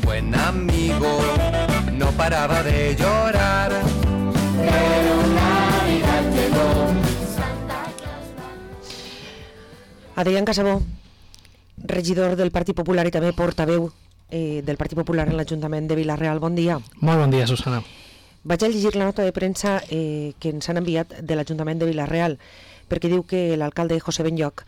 buen amigo no paraba de llorar. Pero Navidad llegó. Adrián Casabó, regidor del Partit Popular i també portaveu del Partit Popular en l'Ajuntament de Vila-real. Bon dia. Molt bon dia, Susana. Vaig a llegir la nota de premsa que ens han enviat de l'Ajuntament de Vila-real, perquè diu que l'alcalde José Benlloch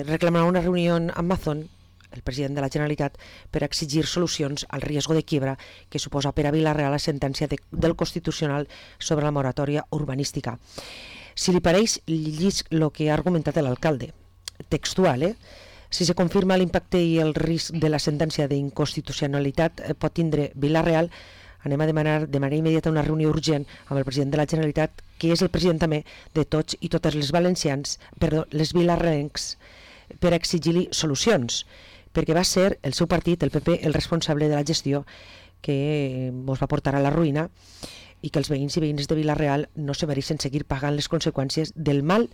reclamarà una reunió amb Mazón, el president de la Generalitat, per exigir solucions al riesgo de quiebra que suposa per a Vila-real la sentència del Constitucional sobre la moratòria urbanística. Si li pareix, llisc el que ha argumentat l'alcalde. Textual, Si se confirma l'impacte i el risc de la sentència d'inconstitucionalitat pot tindre Vila-real, anem a demanar de manera immediata una reunió urgent amb el president de la Generalitat, que és el president també de tots i totes les les vilarrencs, per exigir-li solucions, perquè va ser el seu partit, el PP, el responsable de la gestió que ens va portar a la ruïna i que els veïns i veïnes de Vila-real no se mereixen seguir pagant les conseqüències del mal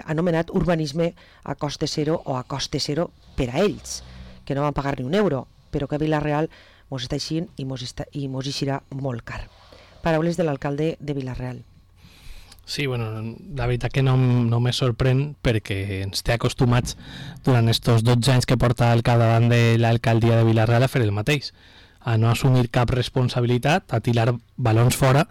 anomenat urbanisme a coste zero o a coste zero per a ells, que no van pagar ni un euro, però que a Vila-real mos està eixint i mos eixirà molt car. Paraules de l'alcalde de Vila-real. Sí, bueno, la veritat que no me sorprèn perquè ens té acostumats durant estos 12 anys que porta al capdavant de l'alcaldia de Vila-real a fer el mateix, a no assumir cap responsabilitat, a tirar balons fora,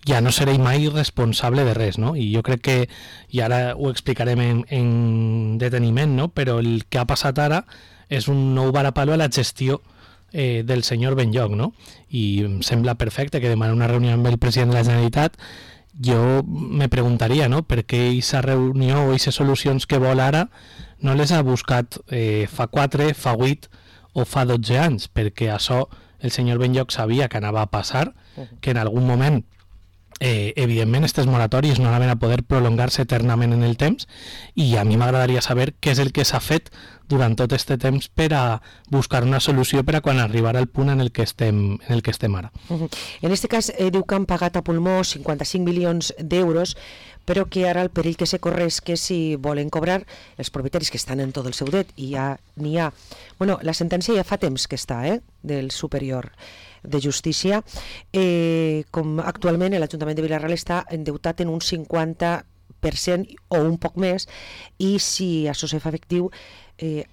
ja no seré mai responsable de res, no? I jo crec que, i ara ho explicarem en deteniment, no? Però el que ha passat ara és un nou varapalo a la gestió del senyor Benlloch, no? I em sembla perfecte que demana una reunió amb el president de la Generalitat. Jo me preguntaria, no?, per què aquesta reunió o aquestes solucions que vol ara no les ha buscat fa 4, fa 8 o fa 12 anys, perquè això el senyor Benlloch sabia que anava a passar, que en algun moment evidentment aquestes moratòries no anaven a poder prolongar-se eternament en el temps, i a mi m'agradaria saber què és el que s'ha fet durant tot aquest temps per a buscar una solució per a quan arribarà el punt en el que estem ara. En aquest cas diu que han pagat a pulmó 55 milions d'euros, però que ara el perill que se corre és que si volen cobrar els propietaris que estan en tot el seu dret, i ja n'hi ha... Bueno, la sentència ja fa temps que està, del superior de justícia, com actualment l'Ajuntament de Vila-real està endeutat en un 50% o un poc més, i si això se fa efectiu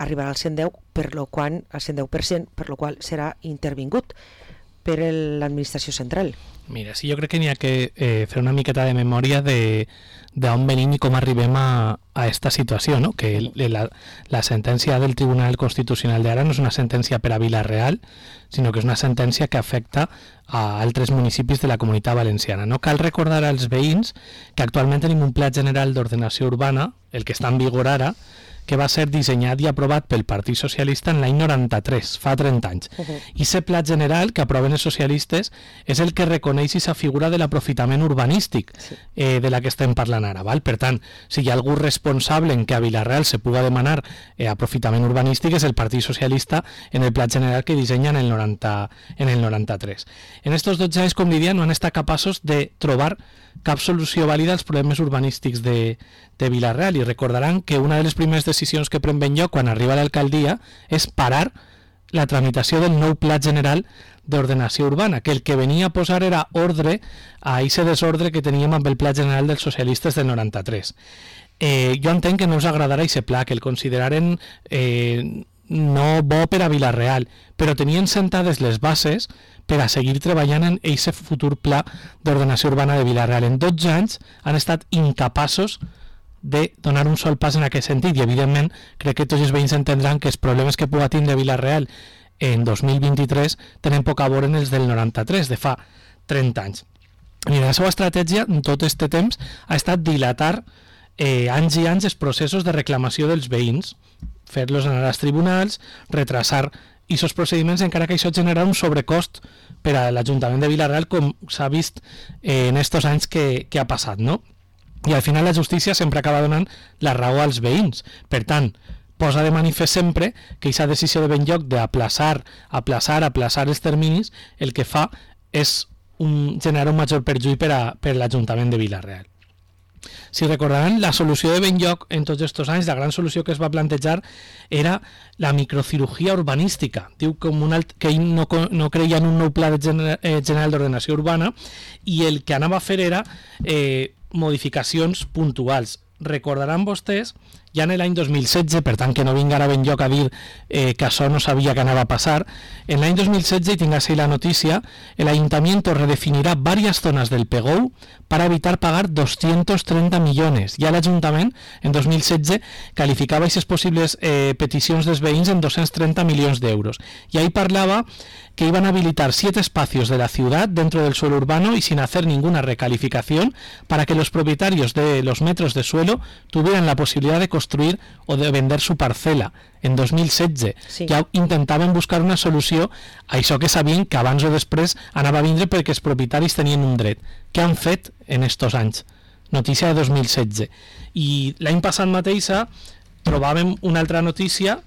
arribarà al 110%, per lo qual serà intervingut per l'administració central. Mira, sí, jo crec que n'hi ha que fer una miqueta de memòria d'on venim i com arribem a esta situació, no? Que la sentència del Tribunal Constitucional d'ara no és una sentència per a Vila-real, sinó que és una sentència que afecta a altres municipis de la Comunitat Valenciana. No cal recordar als veïns que actualment tenim un Pla General d'Ordenació Urbana, el que està en vigor ara, que va ser dissenyat i aprovat pel Partit Socialista en l'any 93, fa 30 anys. I aquest pla general que aproven els socialistes és el que reconeix aquesta figura de l'aprofitament urbanístic de la que estem parlant ara. Val? Per tant, si hi ha algú responsable en que a Vila-real se puga demanar aprofitament urbanístic és el Partit Socialista en el pla general que dissenya en el 93. En estos 12 anys, com diria, no han estat capaços de trobar cap solució vàlida als problemes urbanístics de Vila-real, i recordaran que una de les primeres decisions que pren Benlloch quan arriba a l'alcaldia és parar la tramitació del nou Pla General d'Ordenació Urbana, que el que venia a posar era ordre a aquest desordre que teníem amb el Pla General dels Socialistes del 93. Jo entenc que no us agradarà aquest pla, que el consideraren no bo per a Vila-real, però tenien sentades les bases per a seguir treballant en aquest futur pla d'ordenació urbana de Vila-real. En 12 anys han estat incapaços de donar un sol pas en aquest sentit, i evidentment crec que tots els veïns entendran que els problemes que pugui tindre Vila-real en 2023 tenen poc a veure en els del 93, de fa 30 anys. I la seva estratègia en tot aquest temps ha estat dilatar anys i anys els processos de reclamació dels veïns, fer-los anar als tribunals, retrasar aquests procediments, encara que això genera un sobrecost per a l'Ajuntament de Vila-real, com s'ha vist en aquests anys que ha passat, no? I al final la justícia sempre acaba donant la raó als veïns. Per tant, posa de manifest sempre que aquesta decisió de Benlloch d'aplaçar els terminis, el que fa és generar un major perjuí per a l'Ajuntament de Vila-real. Si recordaran, la solució de Benlloc en tots aquests anys, la gran solució que es va plantejar era la microcirurgia urbanística. Diu que ell no creia en un nou pla general d'ordenació urbana i el que anava a fer era modificacions puntuals. Recordaran vostès, ja en l'any 2016, per tant que no vinga ara Benlloc a dir que això no sabia que anava a passar, en l'any 2016, y tengas ahí la noticia, el ayuntamiento redefinirá varias zonas del PEGOU para evitar pagar 230 millones. Ja l'Ajuntament, en 2016, calificava aquestes possibles peticions dels veïns en 230 milions d'euros. Y ahí parlava que iban a habilitar 7 espacios de la ciudad dentro del suelo urbano y sin hacer ninguna recalificación para que los propietarios de los metros de suelo tuvieran la posibilidad de construir o de vender su parcela. En 2016 sí. Ja intentaven buscar una solució a això que sabien que abans o després anava a vindre perquè els propietaris tenien un dret. Què han fet en estos anys? Notícia de 2016. I l'any passat mateixa trobàvem una altra notícia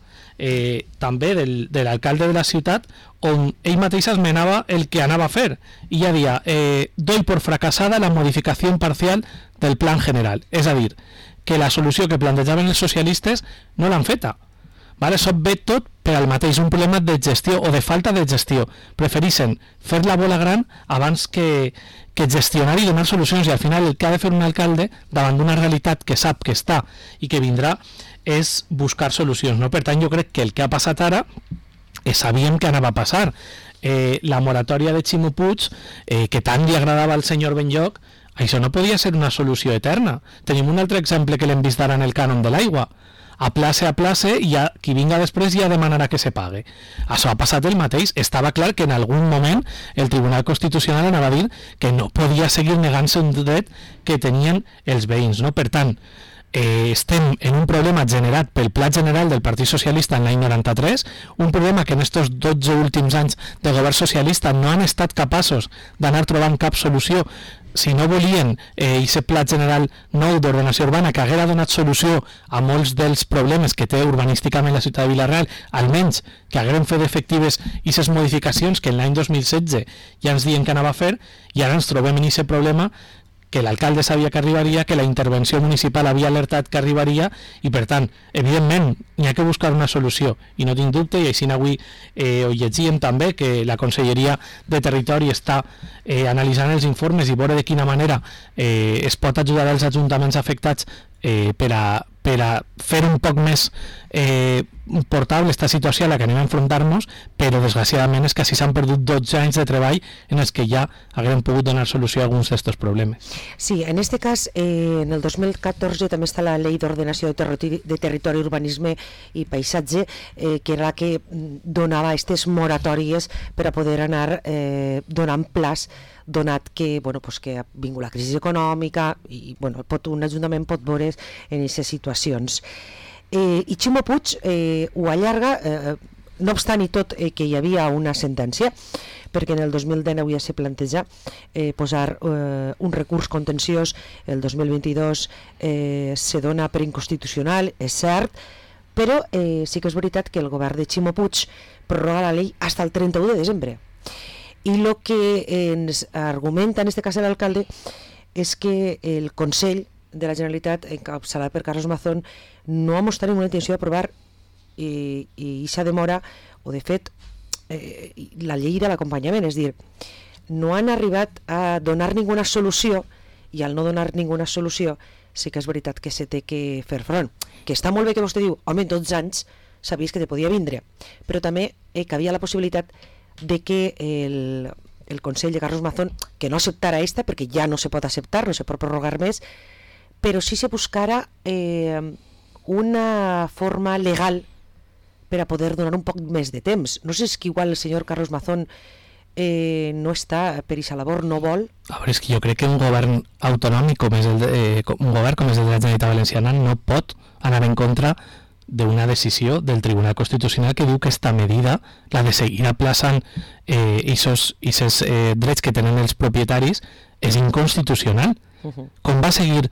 també de l'alcalde de la ciutat on ell mateix esmenava el que anava a fer i ja dia, doy por fracasada la modificació parcial del plan general, és a dir, que la solució que plantejaven els socialistes no l'han feta. Vale? Això ve tot per al mateix, un problema de gestió o de falta de gestió. Preferixen fer la bola gran abans que gestionar i donar solucions, i al final el que ha de fer un alcalde davant d'una realitat que sap que està i que vindrà és buscar solucions, no? Per tant, jo crec que el que ha passat ara sabíem que anava a passar. La moratòria de Ximo Puig, que tant li agradava al senyor Benlloc, això no podia ser una solució eterna. Tenim un altre exemple que l'hem vist ara en el cànon de l'aigua. A place, i ja, qui vinga després ja demanarà que se pague. Això ha passat el mateix. Estava clar que en algun moment el Tribunal Constitucional anava a dir que no podia seguir negant-se un dret que tenien els veïns, no? Per tant, estem en un problema generat pel Pla General del Partit Socialista en l'any 93, un problema que en estos 12 últims anys de govern socialista no han estat capaços d'anar trobant cap solució. Si no volien aquest Pla General nou d'ordenació urbana que haguera donat solució a molts dels problemes que té urbanísticament la ciutat de Vila-real, almenys que hagueren fet efectives aquestes modificacions que en l'any 2016 ja ens diuen que anava a fer, i ara ens trobem en aquest problema que l'alcalde sabia que arribaria, que la intervenció municipal havia alertat que arribaria, i per tant, evidentment, n'hi ha que buscar una solució, i no tinc dubte, i així avui ho llegíem també, que la Conselleria de Territori està analitzant els informes i veure de quina manera es pot ajudar els ajuntaments afectats per a fer un poc més portable aquesta situació a la que anem a enfrontar-nos, però desgraciadament és que així s'han perdut 12 anys de treball en els que ja haguem pogut donar solució a alguns d'aquests problemes. Sí, en este cas, en el 2014 també està la Llei d'Ordenació de Territori, Urbanisme i Paisatge, que era la que donava aquestes moratòries per a poder anar donant plaç, donat que, que ha vingut la crisi econòmica i un ajuntament pot veure en aquestes situacions. I Ximo Puig ho allarga, no obstant i tot que hi havia una sentència, perquè en el 2019 ja se planteja posar un recurs contenciós, el 2022 se dona per inconstitucional, és cert, però sí que és veritat que el govern de Ximo Puig prorroga la llei fins al 31 de desembre. I el que ens argumenta en aquest cas l'alcalde és que el Consell de la Generalitat, encapçalat per Carlos Mazón, no ha mostrat ninguna intenció d'aprovar i aquesta demora, o de fet la llei de l'acompanyament, és dir, no han arribat a donar ninguna solució, i al no donar ninguna solució sí que és veritat que se té que fer front, que està molt bé que vostè diu, home, en 12 anys sabies que te podia vindre, però també que havia la possibilitat de que el Consell de Carlos Mazón, que no acceptara esta, perquè ja no se pot acceptar, no se pot prorrogar més, però sí se buscara una forma legal per a poder donar un poc més de temps. No sé si igual el senyor Carlos Mazón no està per aquesta labor, no vol. A veure, és que jo crec que un govern autonòmic com és un govern com és el de la Generalitat Valenciana no pot anar en contra d'una decisió del Tribunal Constitucional que diu que esta medida, la de seguir aplaçant aquests drets que tenen els propietaris, és inconstitucional. Com va seguir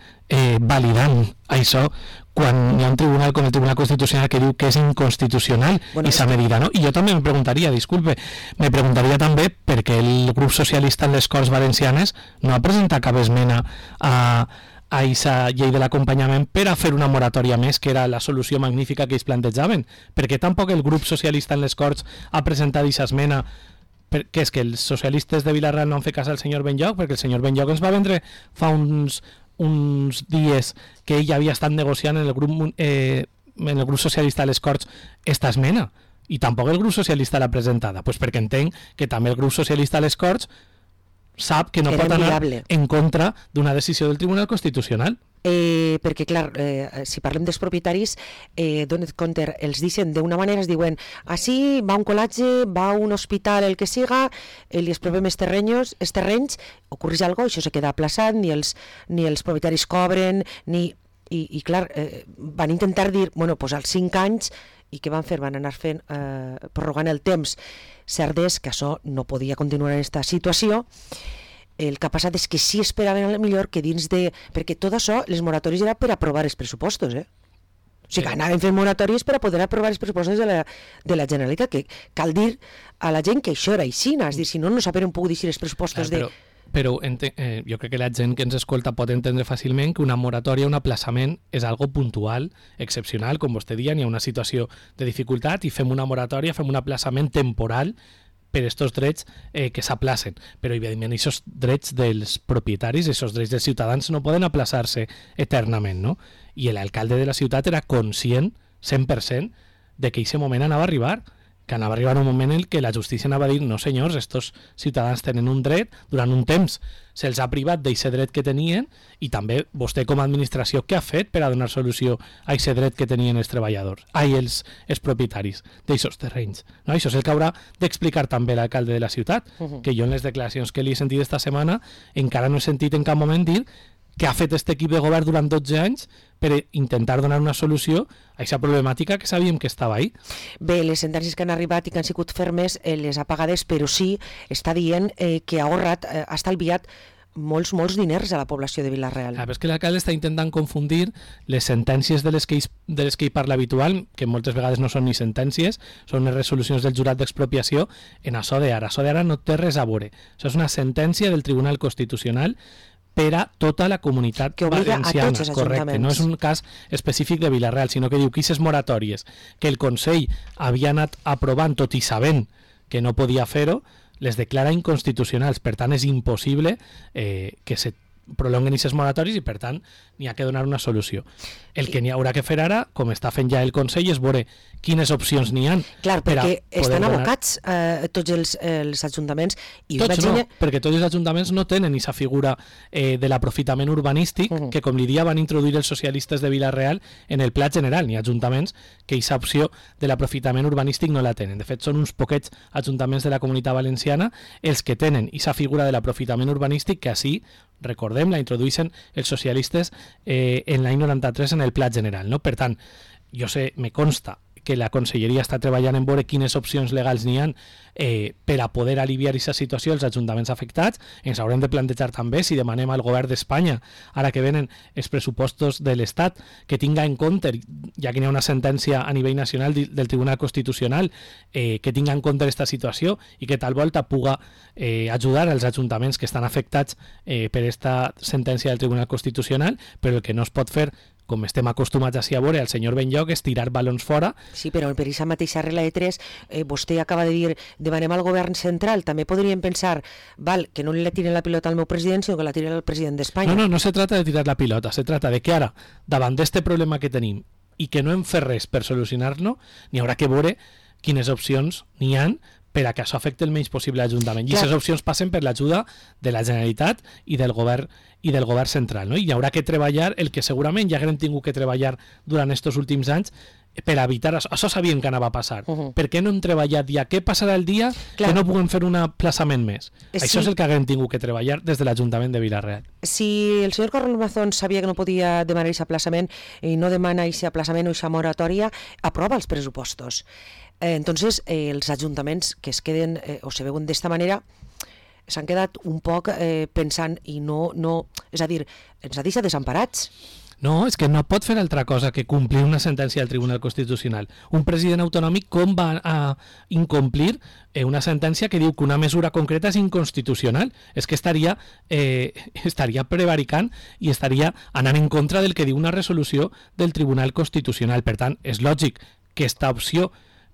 validant això quan hi ha un tribunal com el Tribunal Constitucional que diu que és inconstitucional aquesta medida, no? I jo també me preguntaria també per què el grup socialista en les Corts Valencianes no ha presentat cap esmena a a aquesta llei de l'acompanyament per a fer una moratòria més, que era la solució magnífica que ells plantejaven, perquè tampoc el grup socialista en les Corts ha presentat aquesta esmena, que és que els socialistes de Vila-real no han fet cas al senyor Benlloc, perquè el senyor Benlloc ens va vendre fa uns dies que ell havia estat negociant en el grup socialista de les Corts esta esmena, i tampoc el grup socialista l'ha presentada, pues perquè entenc que també el grup socialista de les Corts sap que no pot anar en contra d'una decisió del Tribunal Constitucional. Perquè, clar, si parlem dels propietaris, dona't compte, els deixen d'una manera, es diuen, així va un col·latge, va un hospital, el que siga, li exprovem els terrenys, ocorreix alguna cosa, això se queda aplaçat, ni els propietaris cobren, i clar, van intentar dir, bueno, doncs als 5 anys, i què van fer? Van anar fent, prorrogant el temps. Cert és que això no podia continuar en aquesta situació. El que ha passat és que sí esperaven a millor que dins de... Perquè tot això, les moratòries era per aprovar els pressupostos, O sigui, que anaven fent moratòries per a poder aprovar els pressupostos de la Generalitat, que cal dir a la gent que això era així, és dir, si no, no saben pogut dir els pressupostos de... Però jo crec que la gent que ens escolta pot entendre fàcilment que una moratòria, un aplaçament, és algo puntual, excepcional, com vostè deia, hi ha una situació de dificultat i fem una moratòria, fem un aplaçament temporal per aquests drets que s'aplacen. Però, evidentment, aquests drets dels propietaris, aquests drets dels ciutadans no poden aplaçar-se eternament, no? I l'alcalde de la ciutat era conscient, 100%, de que aquest moment anava a arribar, que anava a arribar un moment en què la justícia anava a dir no senyors, estos ciutadans tenen un dret, durant un temps se'ls ha privat d'aquest dret que tenien i també vostè com a administració què ha fet per a donar solució a aquest dret que tenien els treballadors, els propietaris d'aquests terrenys. No? Això és el que haurà d'explicar també l'alcalde de la ciutat, que jo en les declaracions que li he sentit esta setmana encara no he sentit en cap moment dir que ha fet aquest equip de govern durant 12 anys per intentar donar una solució a aquesta problemàtica que sabíem que estava ahí. Bé, les sentències que han arribat i que han sigut fermes les ha pagades, però sí està dient que ha ahorrat, ha estalviat molts diners a la població de Vila-real. És que l'alcalde està intentant confundir les sentències de les que ell parla habitual, que moltes vegades no són ni sentències, són les resolucions del jurat d'expropiació, en això d'ara. Això d'ara no té res a veure. Això és una sentència del Tribunal Constitucional per a tota la comunitat valenciana, correcte. No és un cas específic de Vila-real, sinó que diu que aquestes moratòries que el Consell havia anat aprovant tot i sabent que no podia fer-ho, les declara inconstitucionals. Per tant, és impossible que se prolonguen aquestes moratòries i, per tant, n'hi ha que donar una solució. El que n'hi haurà que fer ara, com està fent ja el Consell, és veure quines opcions n'hi ha. Clar, perquè estan abocats tots els ajuntaments. Tots no, perquè tots els ajuntaments no tenen aquesta figura de l'aprofitament urbanístic que, com li dia, van introduir els socialistes de Vila-real en el Pla General. N'hi ha ajuntaments que aquesta opció de l'aprofitament urbanístic no la tenen. De fet, són uns poquets ajuntaments de la Comunitat Valenciana els que tenen aquesta figura de l'aprofitament urbanístic que així, recordem, la introduïssin els socialistes en l'any 93 en el Pla General. No? Per tant, me consta que la Conselleria està treballant en veure quines opcions legals n'hi ha per a poder aliviar aquesta situació als ajuntaments afectats. Ens haurem de plantejar també si demanem al govern d'Espanya, ara que venen els pressupostos de l'Estat, que tinga en compte, ja que hi ha una sentència a nivell nacional del Tribunal Constitucional, que tinga en compte aquesta situació i que tal volta puga ajudar als ajuntaments que estan afectats per aquesta sentència del Tribunal Constitucional, però el que no es pot fer, com estem acostumats a veure al senyor Benlloc, és tirar balons fora. Sí, però per aquesta mateixa regla de 3, vostè acaba de dir, demanem al govern central, també podríem pensar, que no li tiren la pilota al meu president, sinó que la tiren al president d'Espanya. No se trata de tirar la pilota, se trata de que ara, davant d'este problema que tenim, i que no hem fet res per solucionar-lo, n'hi haurà que veure quines opcions n'hi ha per a que això afecti el menys possible l'Ajuntament. I aquestes opcions passen per l'ajuda de la Generalitat i del govern central. No? I hi haurà que treballar el que segurament ja haguem tingut que treballar durant aquests últims anys per evitar això. Això sabíem que anava a passar. Per què no hem treballat ja? Què passarà el dia que no puguem fer un aplaçament més? Això és el que haguem tingut que treballar des de l'Ajuntament de Vila-real. Si el senyor Carlos Mazón sabia que no podia demanar aquest aplaçament i no demana aquest aplaçament o aquesta moratòria, aprova els pressupostos. Entonces, els ajuntaments que es queden o se veuen d'esta manera s'han quedat un poc pensant i no, és a dir, ens ha deixat desemparats. No, és que no pot fer altra cosa que complir una sentència del Tribunal Constitucional. Un president autonòmic com va a incomplir una sentència que diu que una mesura concreta és inconstitucional? És que estaria prevaricant i estaria anant en contra del que diu una resolució del Tribunal Constitucional. Per tant, és lògic que esta opció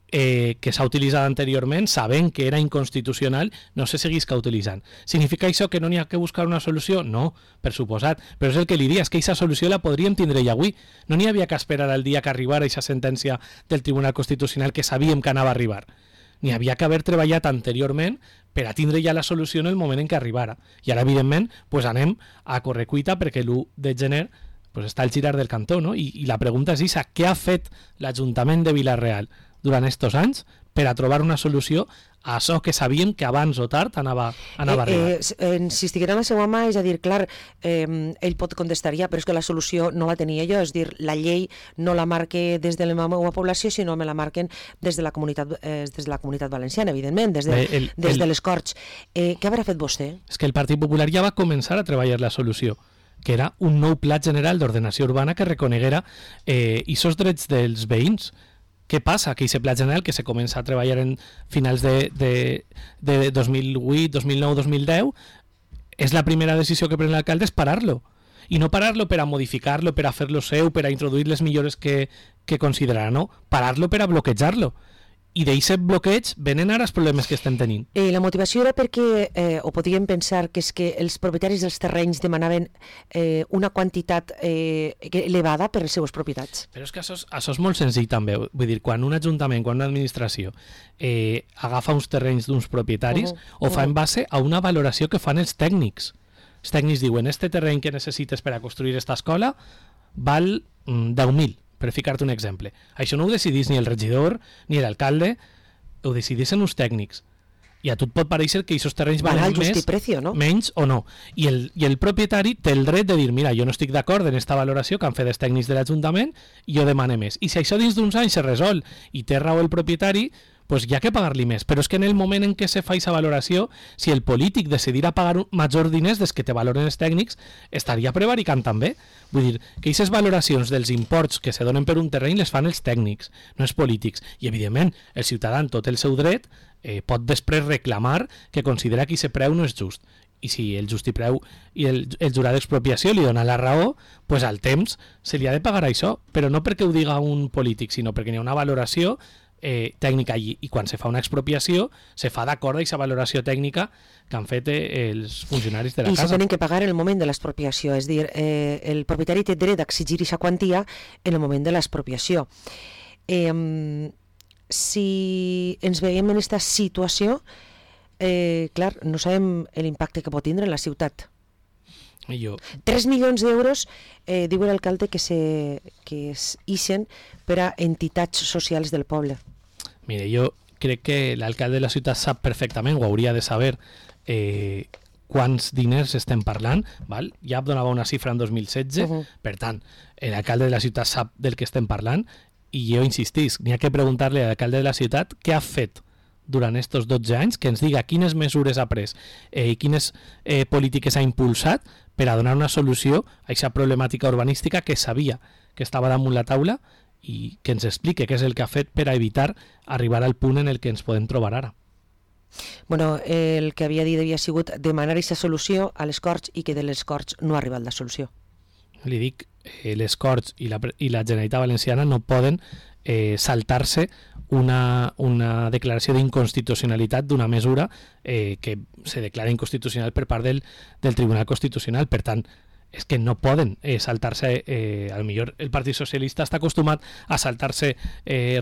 que s'ha utilitzat anteriorment, sabent que era inconstitucional, no se seguisca utilitzant. Significa això que no n'hi ha que buscar una solució? No, per suposat, però és el que li diria, és que aquesta solució la podríem tindre ja avui. No n'hi havia que esperar al dia que arribara aquesta sentència del Tribunal Constitucional que sabíem que anava a arribar. N'hi havia que haver treballat anteriorment per a tindre ja la solució en el moment en què arribara. I ara, evidentment, pues anem a correcuita perquè l'1 de gener pues està al girar del cantó, no? I la pregunta és aquesta, què ha fet l'Ajuntament de Vila-real durant estos anys per a trobar una solució a això que sabíem que abans o tard anava a arribar? Si estiguera en la seva mà, és a dir, clar, ell pot contestar ja, però és que la solució no la tenia jo, és a dir, la llei no la marque des de la meva població, sinó me la marquen des de la comunitat valenciana, evidentment, des de les Corts. Què haurà fet vostè? És que el Partit Popular ja va començar a treballar la solució, que era un nou pla general d'ordenació urbana que reconeguera aquests drets dels veïns. Què passa? Que aquest pla general que se comença a treballar en finals de 2008, 2009, 2010 és la primera decisió que pren l'alcalde, és parar-lo. I no parar-lo per a modificar-lo, per a fer-lo seu, per a introduir les millores que considerarà, no. Parar-lo per a bloquejar-lo. I d'aquest bloqueig venen ara els problemes que estem tenint. La motivació era perquè, o podíem pensar que és que els propietaris dels terrenys demanaven una quantitat elevada per les seues propietats. Però és que això és molt senzill també. Vull dir, quan un ajuntament, quan una administració agafa uns terrenys d'uns propietaris, ho fa en base a una valoració que fan els tècnics. Els tècnics diuen, este terreny que necessites per a construir esta escola val 10.000. Per ficar-te un exemple. Això no ho decidís ni el regidor ni l'alcalde, ho decidissin uns tècnics. I a tu et pot parèixer que aquests terrenys valen més, no? menys o no. I el propietari té el dret de dir, mira, jo no estic d'acord en aquesta valoració que han fet els tècnics de l'Ajuntament i jo demane més. I si això dins d'uns anys se resol i té raó el propietari, pues hi ha que pagar-li més. Però és que en el moment en què se fa aquesta valoració, si el polític decidirà pagar majors diners des que te valoren els tècnics, estaria prevaricant també. Vull dir, que aquestes valoracions dels imports que se donen per un terreny les fan els tècnics, no els polítics. I, evidentment, el ciutadà, en tot el seu dret, pot després reclamar que considera que aquest preu no és just. I si el justipreu i el jurat d'expropiació li dona la raó, pues al temps se li ha de pagar això, però no perquè ho diga un polític, sinó perquè hi ha una valoració tècnica allí, i quan se fa una expropiació se fa d'acord amb aquesta valoració tècnica que han fet els funcionaris de la casa. I se tenen que pagar en el moment de l'expropiació, és a dir, el propietari té dret d'exigir aquesta quantia en el moment de l'expropiació. Si ens veiem en aquesta situació, clar, no sabem l'impacte que pot tindre en la ciutat. 3 milions d'euros, diu l'alcalde, que es ixen per a entitats socials del poble. Mire, jo crec que l'alcalde de la ciutat sap perfectament, ho hauria de saber, quants diners estem parlant, val? Ja donava una xifra en 2016, per tant, l'alcalde de la ciutat sap del que estem parlant, i jo insistís, n'hi ha que preguntar-li a l'alcalde de la ciutat què ha fet durant estos 12 anys, que ens diga quines mesures ha pres i quines polítiques ha impulsat per a donar una solució a aquesta problemàtica urbanística que sabia que estava damunt la taula, i que ens explique què és el que ha fet per a evitar arribar al punt en el que ens podem trobar ara. Bueno, el que havia dit havia sigut demanar aquesta solució a les Corts i que de les Corts no ha arribat la solució. Li dic, les Corts i la Generalitat Valenciana no poden saltar-se una declaració d'inconstitucionalitat d'una mesura que se declara inconstitucional per part del Tribunal Constitucional. Per tant, és que no poden saltar-se, a lo millor el Partit Socialista està acostumat a saltar-se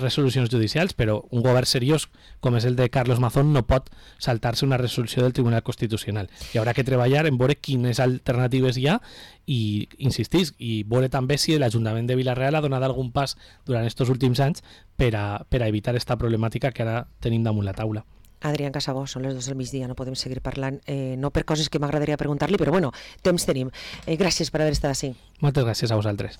resolucions judicials, però un govern seriós com és el de Carlos Mazón no pot saltar-se una resolució del Tribunal Constitucional. I haurà que treballar en veure quines alternatives hi ha i, insistís, i veure també si l'Ajuntament de Vila-real ha donat algun pas durant aquests últims anys per a evitar aquesta problemàtica que ara tenim damunt la taula. Adrián Casabó, són les 2 del migdia, no podem seguir parlant, no per coses que m'agradaria preguntar-li, però bueno, temps tenim. Gràcies per haver estat així. Moltes gràcies a vosaltres.